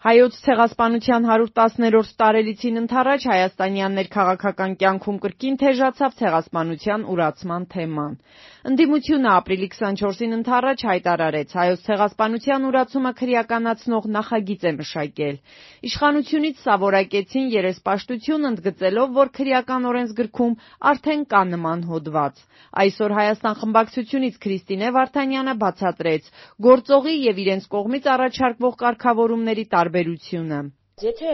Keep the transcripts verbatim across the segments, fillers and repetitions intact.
Հայոց ցեղասպանության հարյուր տասներորդ տարելիցին ընթառաջ հայաստանյան ներքաղաքական կյանքում կրկին թեժացավ ցեղասպանության ուրացման թեման։ Ընդդիմությունը ապրիլի քսանչորսին ընթառաջ հայտարարեց հայոց ցեղասպանության ուրացումը քրեականացնող նախագիծ է մշակել։ Իշխանությունից սա որակեցին երեսպաշտություն ընդգծելով, որ քրեական օրենսգրքում արդեն կա նման հոդված։ Այսօր Հայաստան խմբակցությունից Քրիստինե Վարդանյանը բացատրեց գործողի եւ իրենց կողմից առաջարկվող կարգավորումների տարբերությունը։ Եթե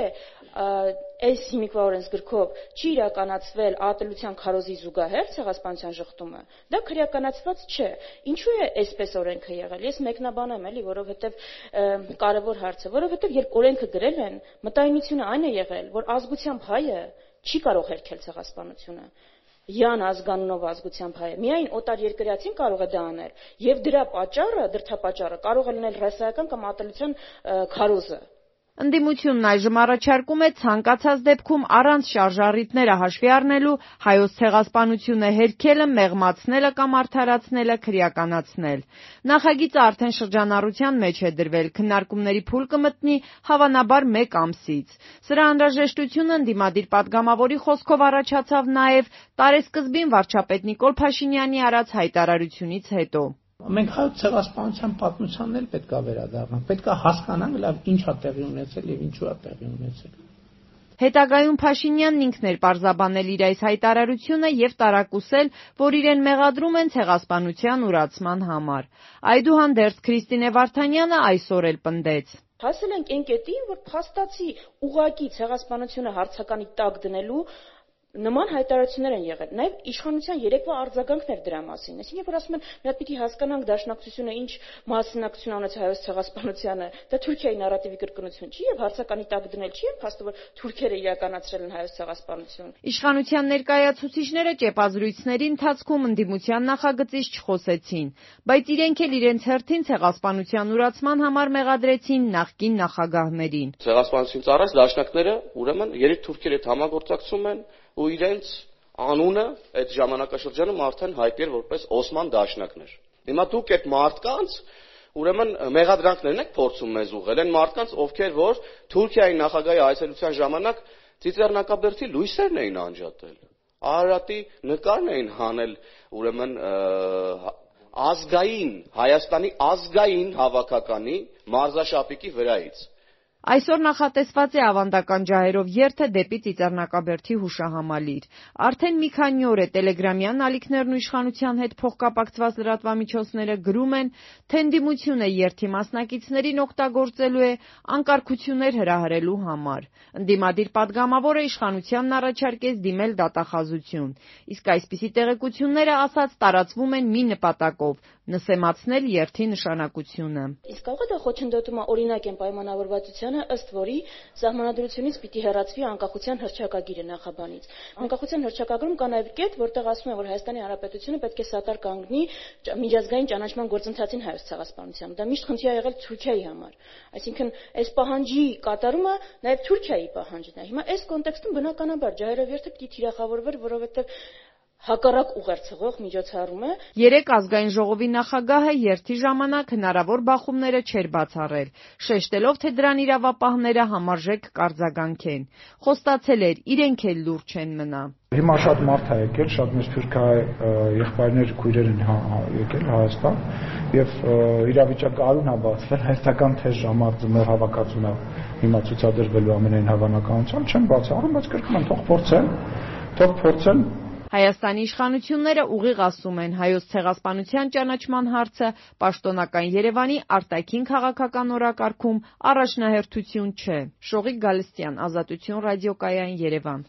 այս հիմիկվա օրենսգրքով չի իրականացվել ատելության քարոզի զուգահեռ ցեղասպանության շղթումը, դա քրեականացված չէ։ Ինչու է այսպես օրենքը եղել։ Ես մեկնաբանեմ էլի, որովհետև կարևոր հարց է, որովհետև երբ օրենքը գրել են, մտայնությունը այն է եղել, որ ազգությամբ հայը չի կարող հերքել ցեղասպանությունը։ Յան ազգանունով ազգությամբ հայը միայն օտար երկրացին կարող է դա անել, եւ դրա պատճառը, դրդապատճառը կարող է լինել ռասայական կամ ատելության քարոզը։ Ընդդիմությունն այժմ առաջարկում է ցանկացած դեպքում առանց շարժառիթները հաշվի առնելու հայոց ցեղասպանությունը հերքելը, մեղմացնելը կամ արդարացնելը քրեականացնել։ Նախագիծը արդեն շրջանառության մեջ է դրվել, քննարկումների փուլ կմտնի հավանաբար մեկ ամսից։ Սրա անհրաժեշտությունը ընդդիմադիր պատգամավորի խոսքով առաջացավ նաև տարեսկզբին վարչապետ Նիկոլ Փաշինյանի արած հայտարարությունից հետո։ Մենք հայոց ցեղասպանության պատմությանն էլ պետք է վերադառնանք, պետք է հասկանանք լավ ինչ է տեղի ունեցել եւ ինչու է տեղի ունեցել։ Հետագայում Փաշինյանն ինքն էր պարզաբանել իր այս հայտարարությունը եւ տարակուսել, որ իրեն մեղադրում են ցեղասպանության ուրացման համար։ Այդուհանդերձ Քրիստինե Վարդանյանը այսօր էլ պնդեց. Հասել ենք այն կետին, որ փաստացի ուղղակի ցեղասպանությունը հարցականի տակ դնելու նման հայտարարություններ են եղել։ Նաև իշխանության երեկվա արձագանքն էր դրա մասին։ Այսինքն, երբ որ ասում են, մի հատ պիտի հասկանանք դաշնակցությունը ինչ մասնակցություն ունեցել հայոց ցեղասպանությանը, դա Թուրքիայի նարատիվի կրկնություն չի եւ հարցականի տակ դնել չի են փաստը, որ թուրքերը իրականացրել են հայոց ցեղասպանություն։ Իշխանության ներկայացուցիչները ճեպազրույցների ընթացքում ընդդիմության նախագծից չխոսեցին, բայց իրենք էլ իրենց հերթին ցեղասպանության ուրացման համար մեղադրեցին նախկին նախագահներին։ Ցեղասպանությունից առաջ դաշնակները ուրեմն երեք թուրքերի հետ համագործակցում են ու իրենց անունը այդ ժամանակաշրջանում արդեն հայտնի էր որպես Օսման դաշնակներ։ Հիմա դուք այդ մարդկանց ուրեմն մեղադրանքներն եք փորձում մեզ ուղղել, այն մարդկանց, ովքեր որ Թուրքիայի նախագահի այցելության ժամանակ ծիծեռնակաբերդի լույսերն էին անջատել, Արարատի նկարն էին հանել, ուրեմն ազգային Հայաստանի ազգային հավաքականի մարզաշապիկի վրայից։ Այսօր նախատեսված է ավանդական ջահերով երթը դեպի Ծիծեռնակաբերդի հուշահամալիր։ Արդեն մի քանի օր է տելեգրամյան ալիքներն ու իշխանության հետ փոխկապակցված լրատվամիջոցները գրում են, թե ընդդիմությունը երթի մասնակիցներին օգտագործելու է անկարգություններ հրահրելու համար։ Ընդդիմադիր պատգամավորը իշխանությանն առաջարկեց դիմել դատախազություն։ Իսկ այսպիսի տեղեկությունները, ասաց, տարածվում են մի նպատակով՝ նսեմացնել երթի նշանակությունը։ Իսկ կարող է դա խոչընդոտում օրինակ են պայմանավորվածությանը, ըստ որի սահմանադրությունից պիտի հեռացվի անկախության հռչակագիրը նախաբանից։ Անկախության հռչակագրում կա նաև կետ, որտեղ ասում է, որ Հայաստանի Հանրապետությունը պետք է սատար կանգնի միջազգային ճանաչման գործընթացին հայոց ցեղասպանությամբ։ Դա միշտ խնդիր է եղել Թուրքիայի համար։ Այսինքն, այս պահանջի կատարումը նաև Թուրքիայի պահանջն է։ Հիմա այս կոնտեքստում բնականաբար ջահերով երթը պիտի թիրախավորվեր, որովհետև հակառակ ուղերձղող միջոցառում է։ Երեք ազգային ժողովի նախագահը երթի ժամանակ հնարավոր բախումները չէր բացառել, շեշտելով, թե դրան իրավապահները համարժեք կարձագանքեն։ Խոստացել էր, իրենք էլ լուրջ չեն մնա։ Հիմա շատ մարդ է եկել, շատ մեր թուրքահայ եղբայրներ, քույրեր են եկել Հայաստան եւ իրավիճակը արուն է բացվել, հայաստական թեժ ժամանակ հավաքածուն է հիմա ցուցադրվելու ամենայն հավանականությամբ, չեմ բացառում, բայց կրկնում եմ, թող փորձեն, թող փորձեն։ Հայաստանի իշխանությունները ուղիղ ասում են, հայոց ցեղասպանության ճանաչման հարցը պաշտոնական Երևանի արտաքին քաղաքական օրակարգում առաջնահերթություն չէ։ Շողիկ Գալստյան, Ազատություն ռադիոկայան, Երևան։